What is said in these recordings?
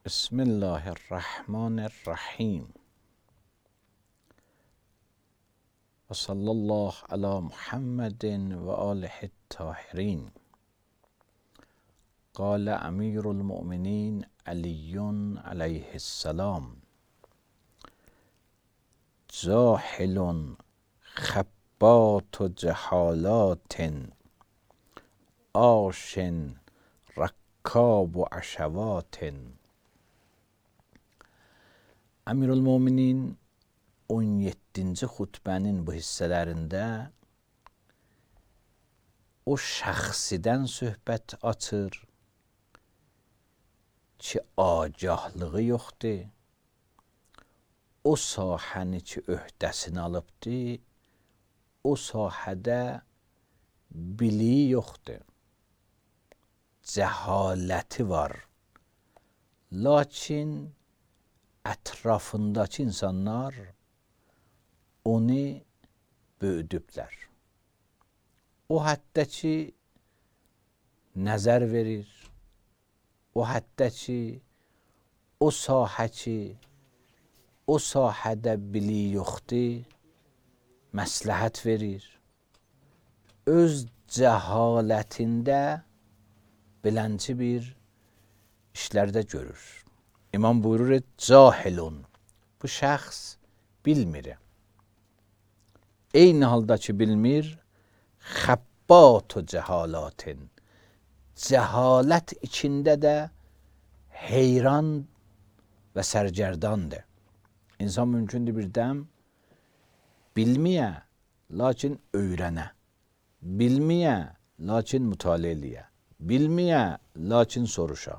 بسم الله الرحمن الرحیم و صلی الله علی محمد و آله الطاهرین. قال امیر المؤمنین علی علیه السلام: جاهل خبات جهالات عاش رکاب و عشوات. Əmirülmöminin 17-ci xutbənin bu hissələrində o şəxsidən söhbət açır ki, agahlığı yoxdur, o sahəni ki, öhdəsini alıbdır, o sahədə biliyi yoxdur, cəhaləti var, lakin ətrafındakı insanlar onu böyüdüblər. O həddə ki, nəzər verir, o həddə ki, o sahə ki, o sahədə biliyi yoxdur, məsləhət verir. Öz cəhalətində belənci bir işlərdə görür. İmam buyurur, cahilun, bu şəxs bilmir. Eyni halda ki bilmir, xəbbatu cəhalatin, cəhalət içində də heyran və sərgərdandır. İnsan mümkündür bir dəm bilməyə, lakin öyrənə, bilməyə, lakin mütaliə eləyə, bilməyə, lakin soruşa.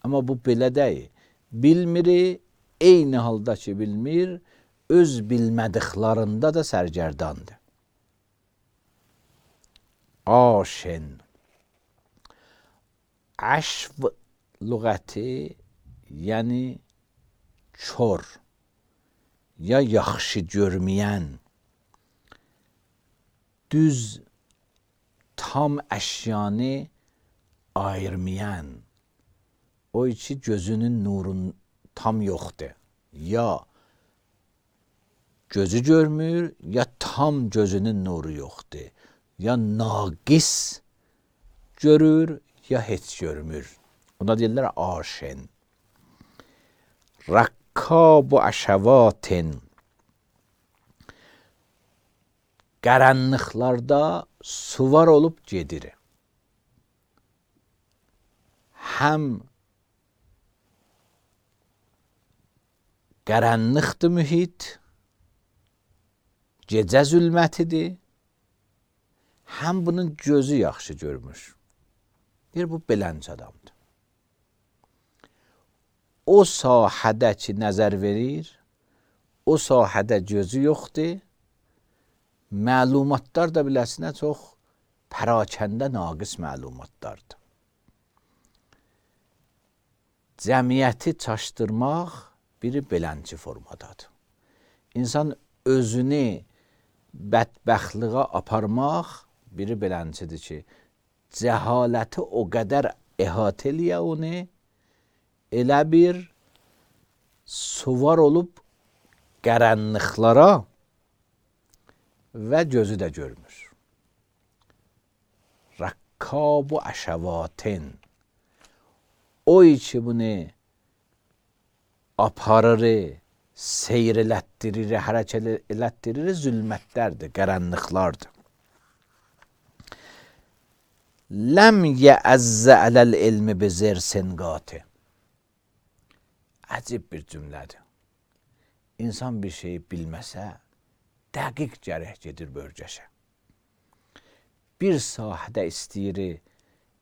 Amma bu belə deyil. Bilmiri, eyni halda ki bilmir, öz bilmədiklərində də sərgərdandır. Aşin. Əşv lüğəti, yəni kör, ya yaxşı görməyən, düz tam əşyanı ayırmayan, o ki gözünün nurun tam yoxdur. Ya gözü görmür, ya tam gözünün nuru yoxdur. Ya naqis görür, ya heç görmür. Ona deyirlər aşin. Rakkab-u əşəvatin. Qaranlıqlarda suvar olub gedir. Həm qaranlıqdır mühit, gecə zülmətidir, həm bunun gözü yaxşı görmüş. Bir bu belənc adamdır. O sahədə ki, nəzər verir, o sahədə gözü yoxdur, məlumatlar da biləsinə çox pərakəndə naqis məlumatlardır. Cəmiyyəti çaşdırmaq biri belənci formadadır. İnsan özünü bədbəxtliğə aparmaq biri beləncidir ki, cəhaləti o qədər əhatə eləyə onu, elə bir suvar olub qaranlıqlara və gözü də görmür. Rakkab-u əşəvatin. O ki bunu aparır, seyr elətdirir, hərəkət elətdirir, zülmətlərdir, qaranlıqlardır. Ləm yəəzzə ələl ilmi bizir sengati. Əcib bir cümlədir. İnsan bir şeyi bilməsə, dəqiq gərək gedir bölgəşə. Bir sahədə istəyir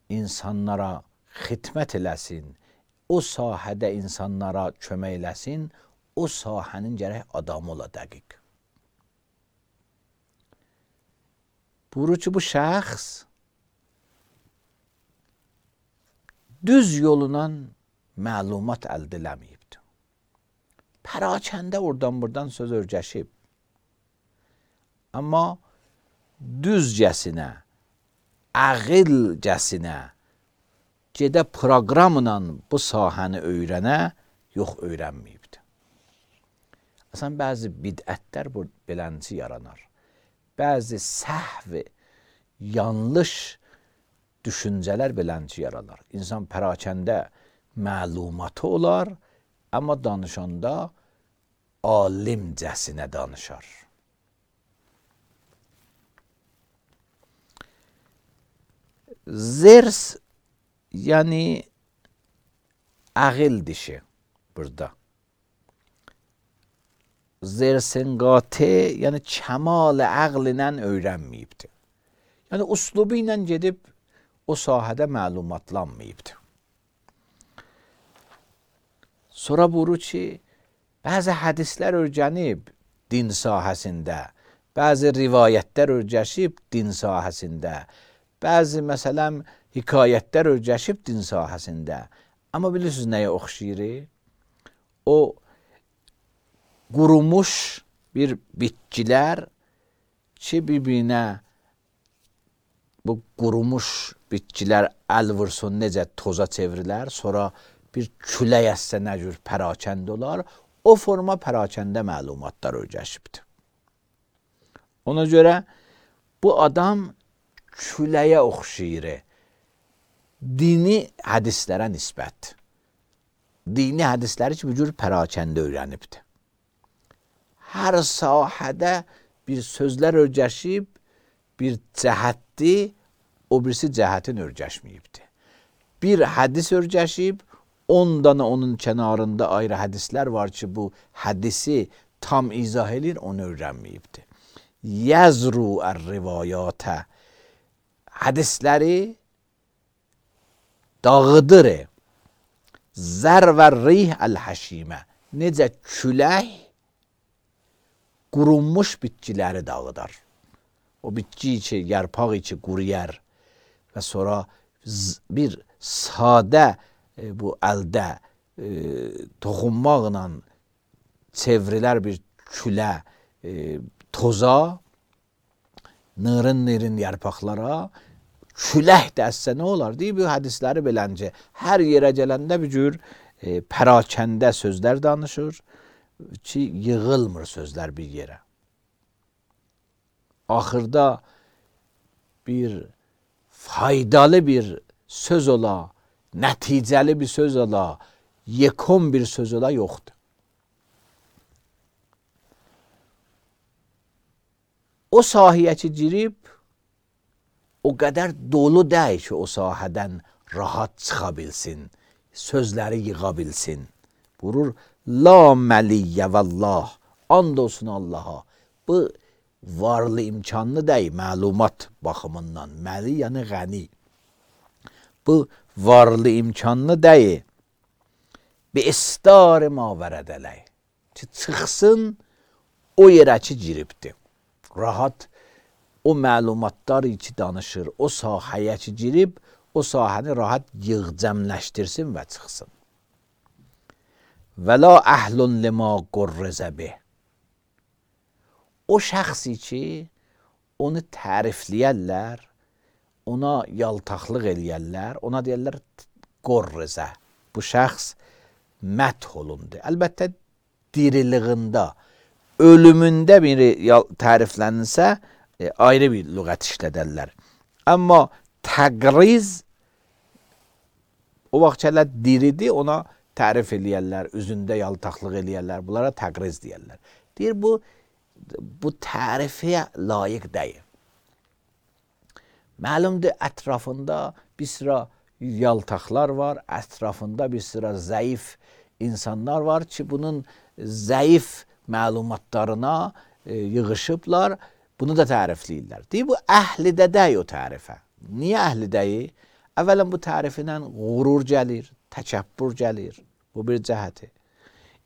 insanlara xidmət eləsin, o sahədə insanlara kömək eləsin, o sahənin gərək adamı ola dəqiq. Buyurur ki, bu şəxs düz yolundan məlumat əldə eləməyibdir. Pərakəndə oradan buradan söz örgəşib. Amma düzcəsinə, ağılcəsinə gedə proqramla bu sahəni öyrənə yox öyrənməyibdi. Aslında bəzi bidətlər bu beləncə yaranar. Bəzi səhv, yanlış düşüncələr beləncə yaranar. İnsan pərakəndə məlumatı olar, amma danışanda alimcəsinə danışar. Zers, yani ağıl dişi burada. Zersin qati, yani kəmal ağl ilə öyrənməyibdi. Yani uslubu ilə gedib o sahədə məlumatlanmayıbdı. Sonra buyurur ki, bəzi hədislər öyrənib din sahəsində, bəzi rivayətlər öyrəşib din sahəsində, bəzi məsələn hekayətlər öyrəşib din sahəsində. Amma bilirsiniz nəyə oxşayır? O qurumuş bir bitkilər ki, bir-birinə bu qurumuş bitkilər əl vursun necə toza çevrilər, sonra bir külək əssə nə cür pərakəndə olar, o forma pərakəndə məlumatlar öyrəşibdir. Ona görə bu adam küləyə oxşayır. Dini hədislərə nisbət. Dini hədisləri ki, bu cür pərakəndə öyrənibdir. Hər sahədə bir sözlər öyrəşib, bir cəhətdir, o birisi cəhətin öyrəşməyibdir. Bir hədis öyrəşib, 10 dana onun kənarında ayrı hədislər var ki, bu hədisi tam izah edir, onu öyrənməyibdir. Yəzru ər-rivayətə, hədisləri dağıdır. Zər və rih əl-həşimə, necə külək qurunmuş bitkiləri dağıdar. O bitki ki, yarpağı ki quruyar və sonra bir sadə bu əldə toxunmaqla çevrilər bir külə, toza, nırın yarpaqlara, külək dəstə nə olar? Deyib, bu hədisləri beləncə hər yerə gələndə bir cür pərakəndə sözlər danışır ki, yığılmır sözlər bir yerə. Axırda bir faydalı bir söz ola, nəticəli bir söz ola, yekun bir söz ola yoxdur. O sahəyə ki girib, o qədər dolu deyil ki, o sahədən rahat çıxa bilsin, sözləri yığa bilsin. Buyurur, la məliyyə vəllah, and olsun Allaha. Bu varlı imkanlı deyil, məlumat baxımından. Məli yəni qəni. Bu varlı imkanlı deyil. Bir istar ma vərədələk. Ki, çıxsın, o yerə ki giribdir. Rahat o məlumatlar ki danışır, o sahəyə ki girib, o sahəni rahat yığcəmləşdirsin və çıxsın. Və la əhlun limə qurrizə bih. O şəxsi ki, onu tərifləyərlər, ona yaltaqlıq eləyərlər, ona deyərlər qurrizə. Bu şəxs məth olundu. Əlbəttə, diriliğində, ölümündə biri təriflənirsə, ayrı bir lüğət işlədərlər. Amma təqriz, o vaxt hələ diridir, ona tərif eləyərlər, üzündə yaltaqlıq eləyərlər, bunlara təqriz deyərlər. Deyir, bu tərifə layiq deyil. Məlumdur, ətrafında bir sıra yaltaqlar var, ətrafında bir sıra zəif insanlar var ki, bunun zəif məlumatlarına yığışıblar, bunu da tərifləyirlər. Deyir, bu əhlidə deyil o tərifə. Niyə əhli deyil? Əvvələn bu tərifindən qurur gəlir, təkəbbür gəlir. Bu bir cəhəti.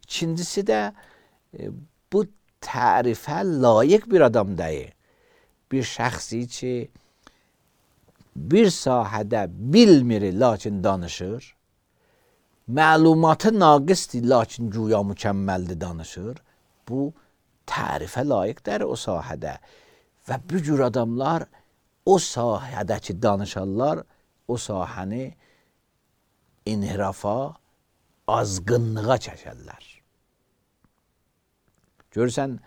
İkincisi də bu tərifə layiq bir adam deyil. Bir şəxsi ki, bir sahədə bilmir, lakin danışır. Məlumatı naqisdir, lakin güya mükəmməldir, danışır. Bu tərifə layiqdir o sahədə. Və bu cür adamlar o sahədəki danışanlar o sahəni inhirafa, azğınlığa çəkərlər. Görürsən,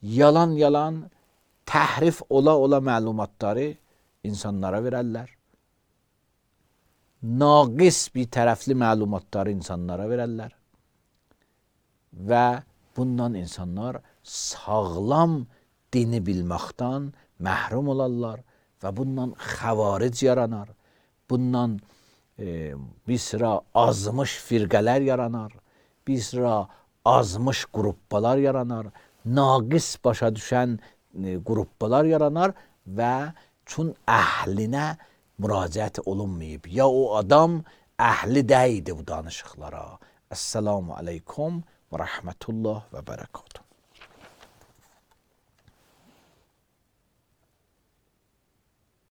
yalan təhrif ola məlumatları insanlara verərlər. Naqis bir tərəfli məlumatları insanlara verərlər. Və bundan insanlar sağlam dini bilməkdən məhrum olarlar və bundan xavaric yaranar. Bundan bir sıra azmış firqələr yaranar. Bir sıra azmış qruppalar yaranar. Naqis başa düşən qruppalar yaranar və çün əhlinə müraciət olunmayıb. Ya o adam əhli deyildi bu danışıqlara. Esselamu aleykum və rəhmətullah və bərəkatuhu.